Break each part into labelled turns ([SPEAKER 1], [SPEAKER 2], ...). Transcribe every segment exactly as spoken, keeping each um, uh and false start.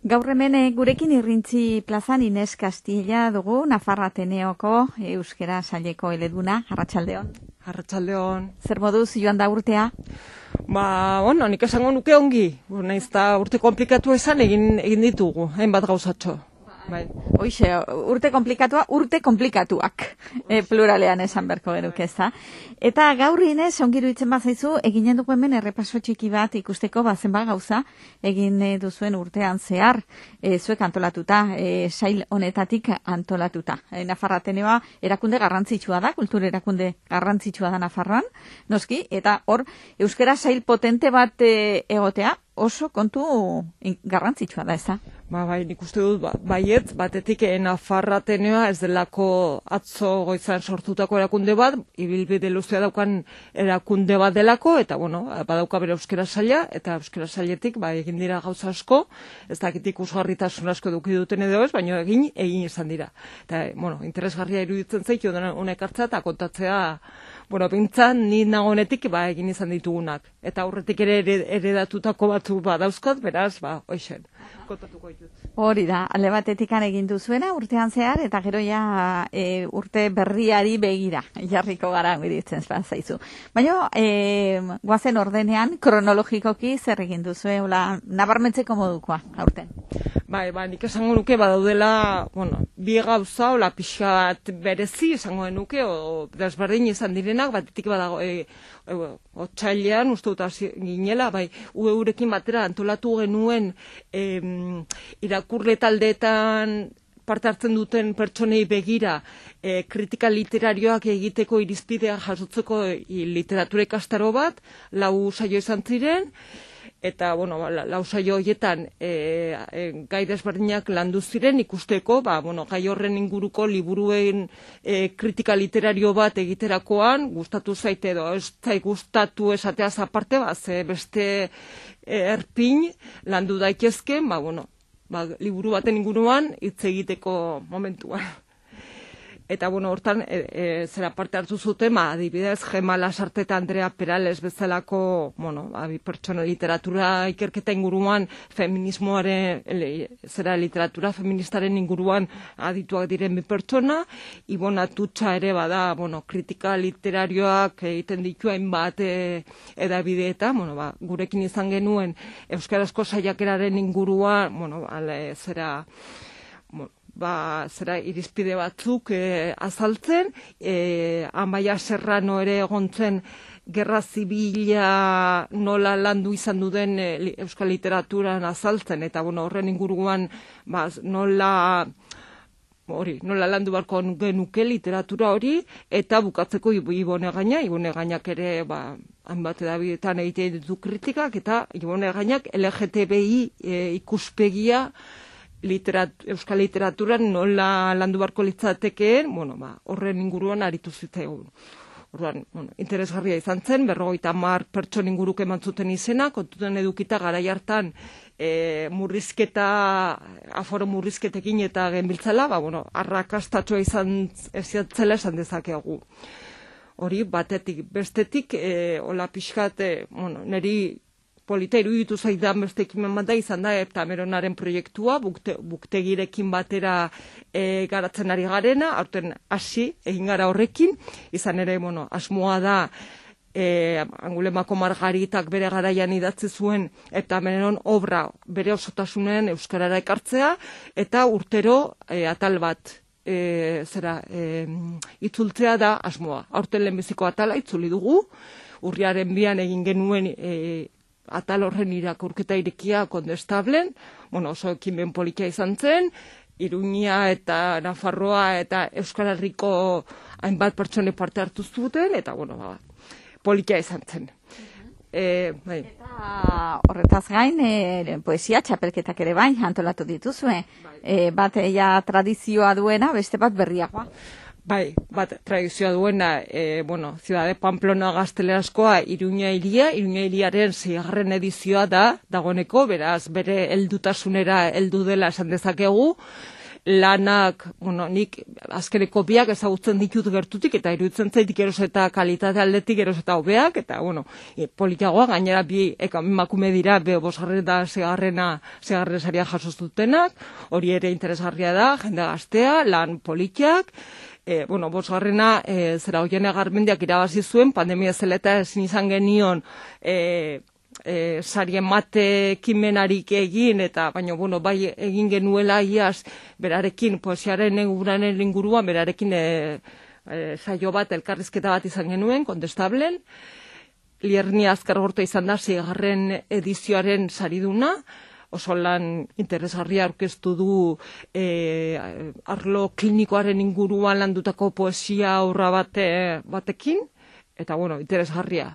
[SPEAKER 1] Gaur hemen gurekin Irrintzi plazan Ines Castilla dugu, Nafarra Ateneoko euskera saileko eleduna. Arratsaldeon.
[SPEAKER 2] Arratsaldeon.
[SPEAKER 1] Zer moduz joan da urtea?
[SPEAKER 2] Ba, bueno, nik esango nuke ongi. Naiz eta urte komplikatu esan egin egin ditugu, hainbat gauzatxo. Bai.
[SPEAKER 1] Hoixe, urte komplikatua, urte komplikatuak, e, pluralean esan berko genuke, ezta. Eta gaur Inez, ongiru itzen bazaizu, eginen dugu hemen errepaso txiki bat ikusteko bazen ba gauza, egin e, duzuen urtean zehar, e, zuek antolatuta, e, sail honetatik antolatuta. E, Nafarra Ateneoa erakunde garrantzitsua da, kultur erakunde garrantzitsua da Nafarroan, noski, eta hor, euskera sail potente bat e, egotea, oso kontu garrantzitsua da, eza?
[SPEAKER 2] Ba, bai, nik uste dut, ba, baiet, batetik e, Nafarra Ateneoa ez delako atzo goizan sortutako erakunde bat, ibilbide luzea daukan erakunde bat delako, eta, bueno, badauka bere euskera saila, eta euskera sailetik, ba, egin dira gauza asko, ez dakitik usgarritasun asko eduki duten edo ez, baina egin, egin izan dira. Eta, bueno, interesgarria iruditzen zaitu, honek hartzea, eta kontatzea, bueno, bintzan, ni nagonetik, ba, egin izan ditugunak. Eta aurretik ere eredatutako batzu ba dauzkot, beraz, ba, hoixen, kontatuko ditut.
[SPEAKER 1] Hori da, alde batetik egin duzuena urtean zehar, eta gero ja e, urte berriari begira, jarriko gara biritzen zaizu. Baina, e, guazen ordenean, kronologikoki zer egin duzue, hola, nabarmentzeko modukoa, aurten.
[SPEAKER 2] Bai, ba, nik esango nuke badaudela, bueno, bi gauza, hola, pixat berezi esango nuke, o desberdin izan direnak, batetik badago, e, e, otsailean, uste dut ginela, bai, ueurekin batera antolatu genuen em, irakurle taldeetan parte hartzen duten pertsonei begira e, kritika literarioak egiteko irizpidea jasotzeko e, literatura ikastaro bat, lau saio izan ziren, eta, bueno, lau saio horietan e, e, gai desberdinak landu ziren ikusteko, ba, bueno, gai horren inguruko liburuen e, kritika literario bat egiterakoan, gustatu zaite edo ez zait gustatu esateaz aparte, ba, ze beste e, erpin landu daitezken, ba, bueno, ba, liburu baten inguruan hitz egiteko momentuan. Eta, bueno, hortan, e, e, zera parte hartu zuten, ba, adibidez, Gema Lasarte eta Andrea Perales bezalako, bueno, abi, pertsona literatura ikerketa inguruan, feminismoaren, ele, zera literatura feministaren inguruan adituak diren bi pertsona, Ibon Atutxa ere bada, bueno, kritika literarioak egiten ditu hainbat e, edabideetan, bueno, ba, gurekin izan genuen euskarazko saiakeraren inguruan, bueno, ale, zera, bueno, ba, zera irizpide batzuk e, azaltzen, e, Amaia Serrano ere egontzen gerra zibila nola landu izan duden e, euskal literaturan azaltzen, eta bueno, horren inguruan ba, nola hori, nola landu barko genuke literatura hori, eta bukatzeko Ibone Gaina, Ibone Gainak ere, ba, hainbat edabidetan egiten ditu kritikak, eta Ibone Gainak L G T B I e, ikuspegia Literat, euskal literaturan nola landu barko litzatekeen, bueno, ba, horren inguruan aritu zitzaigun. Orduan, bueno, interesgarria izan zen, berrogeita hamar pertson inguruk eman zuten izena, kontuten edukita garai hartan e, murrizketa, aforo murrizketekin eta genbiltzala, ba, bueno, arrakastatxoa izan eziatzela esan dezakegu. Hori, batetik, bestetik, e, hola pixkat, e, bueno, neri polita iruditu zaidan beste ekimen bat da izan da eta Meronaren proiektua, bukte, buktegirekin batera e, garatzen ari garena, aurten hasi egin gara horrekin, izan ere, bueno, asmoa da e, Angulemako Margaritak bere garaian idatzi zuen eta Meron obra bere osotasunen euskarara ekartzea, eta urtero e, atal bat e, zera e, itzultzea da asmoa. Aurten lehenbiziko atala itzuli dugu, urriaren bian egin genuen e, atal horren irakurketa irekia kondestablen, bueno, oso ekimen politia izan zen, Iruña eta Nafarroa eta Euskal Herriko hainbat pertsone parte hartu zuten, eta, bueno, ba, politia izan zen. E, bai.
[SPEAKER 1] Eta horretaz gain, e, poesia txapelketak ere bai, antolatu dituzue. Bai. E, bat ja tradizioa duena, beste bat berriagoa.
[SPEAKER 2] Bai, bat tradizioa duena, e, bueno, Ciudad de Pamplona gaztelerazkoa Iruña hiria, Iruña hiriaren seigarren edizioa da, dagoeneko, beraz, bere heldutasunera heldu dela esan dezakegu, lanak, bueno, nik azkeneko biak ezagutzen ditut gertutik, eta iruditzen zaitik eros eta kalitate aldetik eros eta hobeak, eta, bueno, e, politiagoa, gainera bi emakume dira, be bosgarren da segarrena, segarren saria jasostutenak, hori ere interesgarria da, jende gaztea, lan politiak, e, bueno, bosgarrena, e, zera hoiene garmendiak irabazi zuen, pandemia zela eta ezin izan genion, e, E, sarien mate kimenarik egin, eta baina, bueno, bai egin genuela iaz, berarekin, poesiaren eguranen inguruan, berarekin e, e, saio bat, elkarrizketa bat izan genuen, kontestablen, Lierni azkar gorta izan da, zigarren edizioaren sariduna, oso lan interesgarria aurkeztu du e, arlo klinikoaren inguruan landutako poesia aurra bate, batekin, eta, bueno, interesgarria.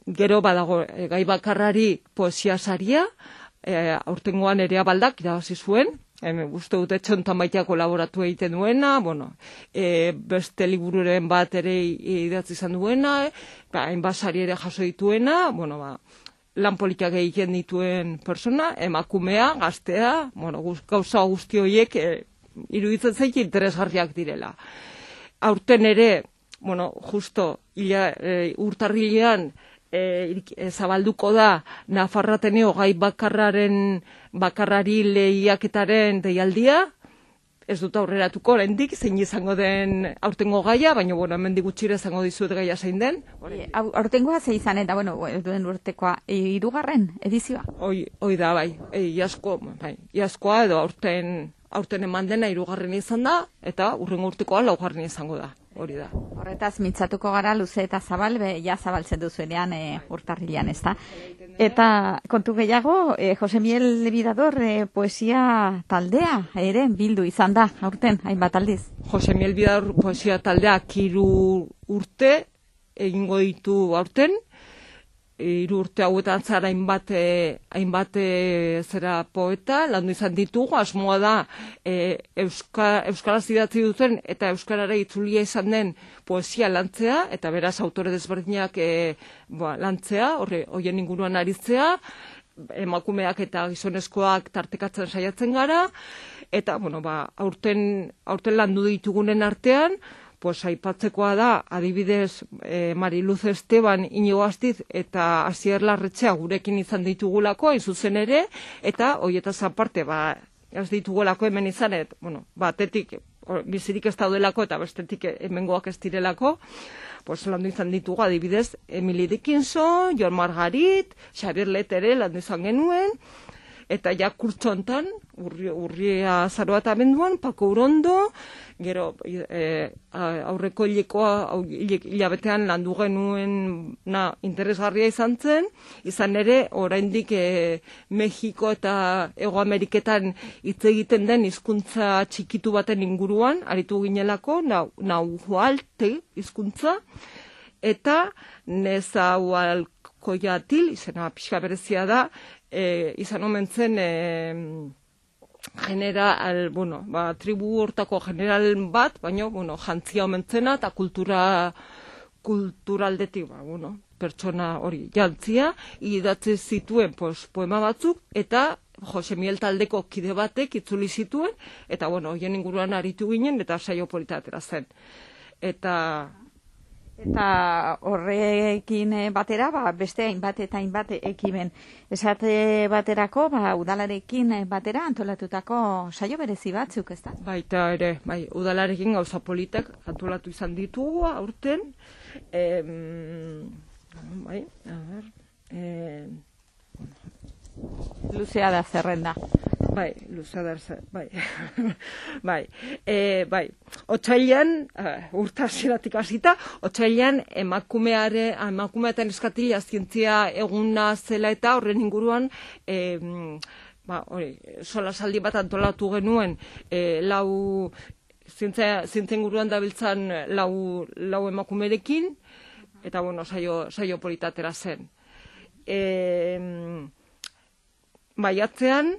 [SPEAKER 2] Gero badago e, gai bakarrari poesia saria, e, aurtengoan ere abaldak irabazi zuen, e, uste dute txontan baitea kolaboratu egiten duena, bueno, e, beste libururen bat ere idatzi izan duena, e, ba, hainbat sari ere jaso dituena, bueno, ba, lan politikak egiten dituen persona, emakumea, gaztea, bueno, gauza guzti horiek e, iruditzen zaik interesgarriak direla. Aurten ere, bueno, justo ila, e, urtarrilean, E, zabalduko da Nafarrateneo gai bakarraren bakarrari lehiaketaren deialdia, ez dut aurreratuko oraindik zein izango den aurtengo gaia, baina bueno, hemendik gutxira izango dizut gaia zein den.
[SPEAKER 1] E, aurtengoa ze izan eta bueno, duen urtekoa hirugarren edizioa.
[SPEAKER 2] Hoi, hoi da bai, e, iazko, bai, iazkoa edo aurten aurten eman dena hirugarren izan da eta urrengo urtekoa laugarren izango da. Hori da.
[SPEAKER 1] Horretaz mintzatuko gara luze eta zabal, be, ja zabaltzen duzuenean e, urtarrilean, ez da. Eta kontu gehiago, e, Jose Miel Bidador e, poesia taldea ere bildu izan da, aurten, hainbat aldiz.
[SPEAKER 2] Jose Miel Bidador poesia taldea hiru urte egingo ditu aurten, hiru urte hauetan zara hainbat, e, hainbat e, zera poeta, landu izan ditugu, asmoa da e, Euska, Euskaraz idatzi duten eta Euskarara itzulia izan den poesia lantzea, eta beraz autore desberdinak e, ba, lantzea, horre, hoien inguruan aritzea, emakumeak eta gizonezkoak tartekatzen saiatzen gara, eta bueno, ba, aurten, aurten landu ditugunen artean, pues aipatzekoa da, adibidez, eh, Mariluz Esteban, Inigo Astiz eta Asier Larretxea gurekin izan ditugulako, hain zuzen ere, eta hoietaz aparte, ba, ez ditugulako hemen izan, et, bueno, batetik bizirik ez daudelako eta bestetik hemengoak ez direlako, pues landu izan ditugu, adibidez, Emily Dickinson, Jon Margarit, Xabier Letere landu izan genuen, eta ja kurtsontan, urri, urria zaroa eta abenduan, Pako Urondo, gero e, aurreko hilekoa, hilabetean landu genuen na, interesgarria izan zen, izan ere, oraindik e, Mexiko eta Hego Ameriketan hitz egiten den hizkuntza txikitu baten inguruan, aritu ginelako, nahualte hizkuntza, eta Nezahualcoyotl, izena pixka berezia da, E, izan omen zen e, general, bueno, ba, tribu hortako general bat, baina, bueno, jantzia omen zena eta kultura, kulturaldetik, ba, bueno, pertsona hori jantzia, idatzi zituen pues, poema batzuk, eta Jose Miel taldeko kide batek itzuli zituen, eta, bueno, hoien inguruan aritu ginen, eta saio polita atera zen. Eta...
[SPEAKER 1] Eta horrekin batera, ba, beste hainbat eta hainbat ekimen. Esate baterako, ba, udalarekin batera antolatutako saio berezi batzuk, ez da?
[SPEAKER 2] Baita ere, bai, udalarekin gauza politak antolatu izan ditugu aurten. E, bai, a ber... E,
[SPEAKER 1] Luzea da zerrenda.
[SPEAKER 2] Bai, luzea da zerrenda, bai. bai, e, bai. Otsailean, uh, urta zeratik hasita, otsailean emakumeare, emakumeetan eskatila zientzia eguna zela eta horren inguruan, e, ba, hori, solasaldi bat antolatu genuen, e, lau, zientzia, zientzia inguruan dabiltzan lau, lau emakumerekin, eta bueno, saio, saio politatera zen. E, Maiatzean,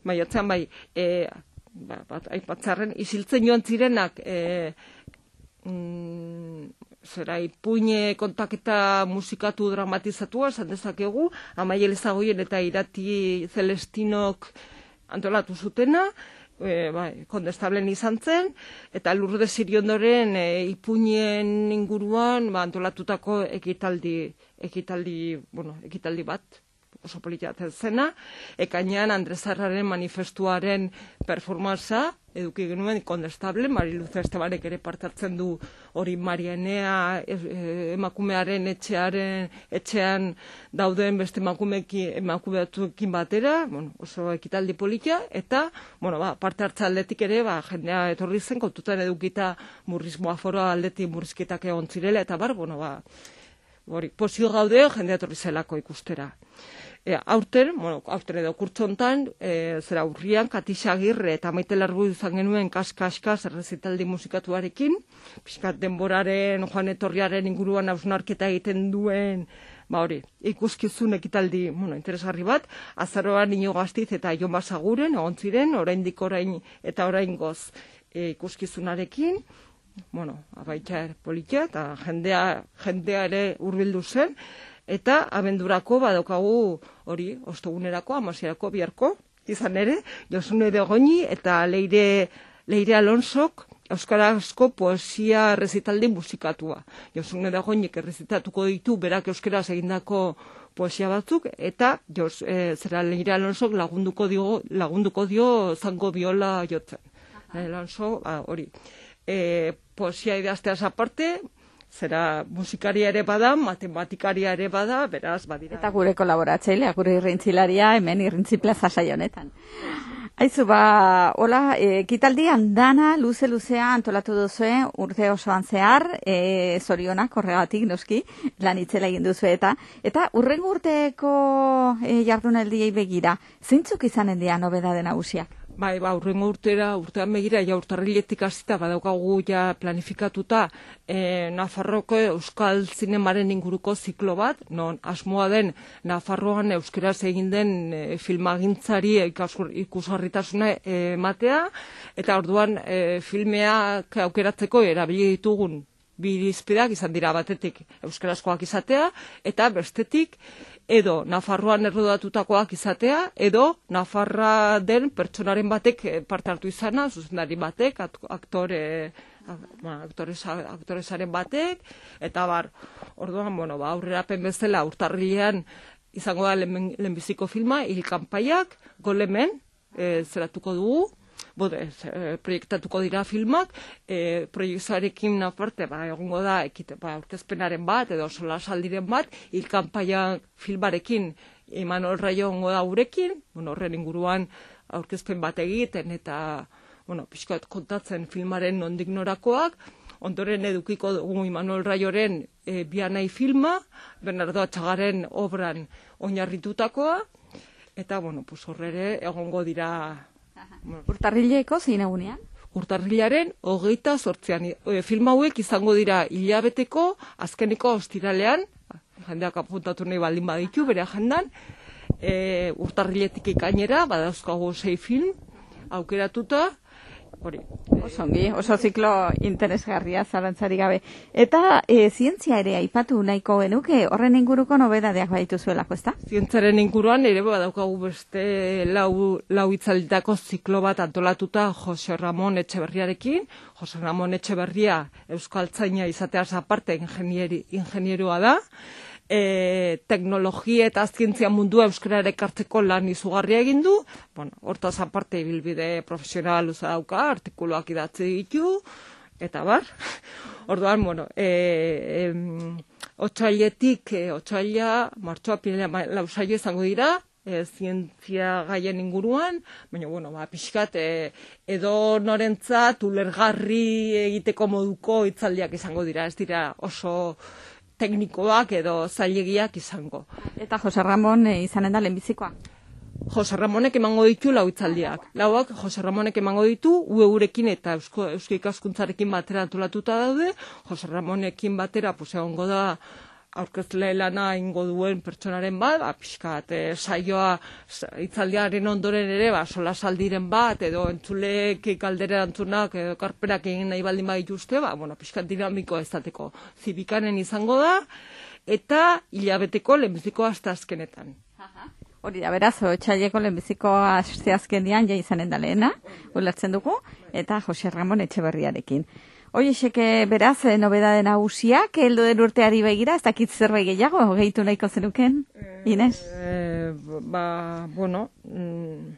[SPEAKER 2] maiatzean bai, e, ba, bat, aipatzarren, isiltzen joan zirenak, e, mm, zera, ipuine kontaketa musikatu dramatizatua, esan dezakegu, Amaiel Ezagoien eta Irati Celestinok antolatu zutena, e, bai, kondestablen izan zen, eta Lourdes Iriondoren e, ipuñen inguruan ba, antolatutako ekitaldi, ekitaldi, bueno, ekitaldi bat, oso politatzen zena, ekainean Andrezarraren manifestuaren performanza eduki genuen kondestable, Mariluz Estebanek ere parte hartzen du hori Marianea e, emakumearen etxearen etxean dauden beste emakumeki emakumeekin batera, bueno, oso ekitaldi polita, eta bueno, ba, parte hartza aldetik ere ba, jendea etorri zen, kontutan edukita murrizmoa foroa aldetik murrizketak egon zirela, eta bar, bueno, ba, hori, posio gaude jendea etorri zelako ikustera. E, aurten, bueno, aurten edo kurtsontan, e, zera urrian, Katisa Agirre eta Maite Largu izan genuen kas-kas-kas errezitaldi musikatuarekin, pixkat denboraren, joan etorriaren inguruan hausnarketa egiten duen, ba hori, ikuskizun ekitaldi, bueno, interesgarri bat, azaroan Inigo Gaztiz eta Jon Basaguren, egon ziren, oraindik orain eta oraingoz e, ikuskizunarekin, bueno, abaitza politia, eta jendea, jendea ere hurbildu zen, eta abendurako badaukagu hori, ostogunerako, amasierako, biharko, izan ere, Josune de Goñi eta Leire, Leire Alonsok euskarazko poesia errezitaldi musikatua. Josune de Goñik errezitatuko ditu, berak euskaraz egindako poesia batzuk, eta jos, e, zera Leire Alonsok lagunduko dio, lagunduko dio zango biola jotzen. Alonso, hori, e, poesia idazteaz aparte, zera musikaria ere bada, matematikaria ere bada, beraz, badira.
[SPEAKER 1] Eta gure kolaboratzailea, gure irrintzilaria, hemen irrintzi plaza saio honetan. Aizu, ba, hola, ekitaldian dana, luze-luzea antolatu duzue, urte osoan zehar, e, zorionak, horregatik, noski, lan itzela egin duzu eta, eta urrengo urteko e, jardunaldiei begira, zeintzuk izanen dira nobedade nagusiak?
[SPEAKER 2] Bai, ba, urrengo urtera, urtean begira, ja urtarriletik hasita badaukagu ja planifikatuta e, Nafarroko euskal zinemaren inguruko ziklo bat, non asmoa den Nafarroan euskeraz egin den e, filmagintzari ikusgarritasuna ematea, eta orduan e, filmeak aukeratzeko erabili ditugun bi irizpideak izan dira, batetik euskarazkoak izatea, eta bestetik edo Nafarroan errodatutakoak izatea, edo Nafarra den pertsonaren batek parte hartu izana, zuzendari batek, aktore, aktoresaren batek, eta bar, orduan, bueno, ba, aurrerapen bezala urtarrilean izango da lehenbiziko filma, hilkanpaiak, golemen, e, zeratuko dugu, Bode, e, proiektatuko dira filmak, e, proiektuarekin aparte, ba, egongo da, ekite, ba, aurkezpenaren bat, edo solasaldiren bat, hilkanpaia filmarekin Imanol Raio egongo da urekin, bueno, horren inguruan aurkezpen bat egiten, eta, bueno, pixkat kontatzen filmaren nondik norakoak, ondoren edukiko dugu Imanol Raioren e, Bianai filma, Bernardo Atxagaren obran oinarritutakoa, eta, bueno, pues horrere egongo dira.
[SPEAKER 1] Urtarrileko zein egunean?
[SPEAKER 2] Urtarrilaren hogeita zortzean. E, film hauek izango dira hilabeteko, azkeneko ostiralean, jendeak apuntatu nahi baldin baditu, bere agendan, e, urtarriletik ikainera, badauzkago sei film, aukeratuta, hori.
[SPEAKER 1] Oso ongi, oso ziklo interesgarria, zalantzari gabe. Eta e, zientzia ere aipatu nahiko genuke, horren inguruko nobedadeak baditu zuelako, ezta?
[SPEAKER 2] Zientziaren inguruan ere badaukagu beste lau, lau itzalditako ziklo bat antolatuta Jose Ramon Etxeberriarekin. Jose Ramon Etxeberria euskaltzaina izateaz aparte ingenieri, ingenierua da. E, teknologia eta zientzia mundua euskarara ekartzeko lan izugarria egin du. Bueno, hortaz aparte ibilbide profesional luza dauka, artikuluak idatzi ditu, eta bar. Orduan, bueno, e, e, otsailetik, e, otsaila, martxoa, pinela, lausaio izango dira, e, zientzia gaien inguruan, baina, bueno, ba, pixkat, e, edo norentzat ulergarri egiteko moduko hitzaldiak izango dira, ez dira oso teknikoak edo zailegiak izango.
[SPEAKER 1] Eta Jose Ramon e, izanen da lehenbizikoa?
[SPEAKER 2] Jose Ramonek emango ditu lau hitzaldiak. Lauak Jose Ramonek emango ditu, U E urekin eta Eusko, Eusko ikaskuntzarekin batera antolatuta daude. Jose Ramonekin batera, pues, egongo da aurkezle lana ingo duen pertsonaren bat, ba, pixkat, e, saioa hitzaldiaren ondoren ere, ba, solasaldiren bat, edo entzulek galdera antzunak, edo karperak egin nahi baldin badituzte, ba, bueno, pixkat dinamiko ezateko zibikanen izango da, eta hilabeteko lehenbiziko hasta azkenetan.
[SPEAKER 1] Hori da, beraz, otxaileko lehenbiziko asteazkenean ja izanen da lehena, ulertzen dugu, eta Jose Ramon Etxeberriarekin. Hoiexek beraz, nobedade nagusiak, heldu den urteari begira, ez dakit zerbait gehiago, gehitu nahiko zenuken, Ines?
[SPEAKER 2] E, ba, bueno, mm,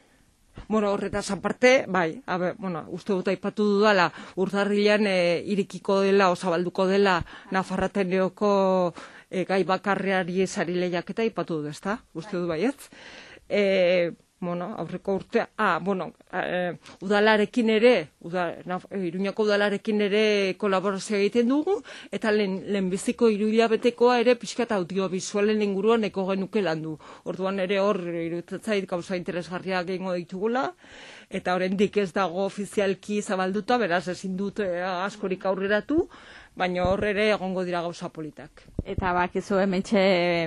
[SPEAKER 2] bueno, horretaz aparte, bai, abe, bueno, uste dut aipatu dudala, urtarrilean e, irikiko dela, osabalduko dela, Nafarrateneoko e, gai bakarreari esari lehiaketa aipatu dut, ezta? Uste dut baietz. E, bueno, aurreko urtea, ah, bueno, e, udalarekin ere, uda, na, Iruñako udalarekin ere kolaborazioa egiten dugu, eta lehen, lehenbiziko hiruhilabetekoa ere pixka eta audiovisualen inguruan eko genuke landu. Orduan ere hor, irutetzait gauza interesgarriak egingo ditugula, eta oraindik ez dago ofizialki zabalduta, beraz ezin dut e, askorik aurreratu, baina hor ere egongo dira gauza politak.
[SPEAKER 1] Eta bakizu hementxe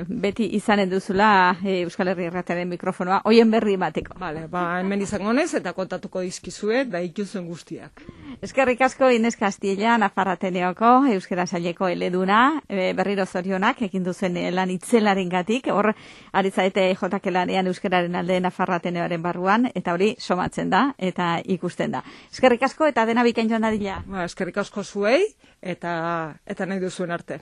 [SPEAKER 1] beti izanen duzula e, Euskal Herri Irratiaren mikrofonoa, hoien berri bateko.
[SPEAKER 2] Vale, ba, hemen izango nez eta kontatuko dizkizue da ikuzuen guztiak.
[SPEAKER 1] Eskerrik asko Ines Castilla, Nafarrateneoko euskera saileko eleduna, e, berriro zorionak egin duzen lan itzelarengatik, hor ari zaite jotak lanean euskararen alde Nafarrateneoaren barruan, eta hori somatzen da eta ikusten da. Eskerrik asko eta dena bikain joan dadila.
[SPEAKER 2] Ba, eskerrik asko zuei eta eta nahi duzuen arte.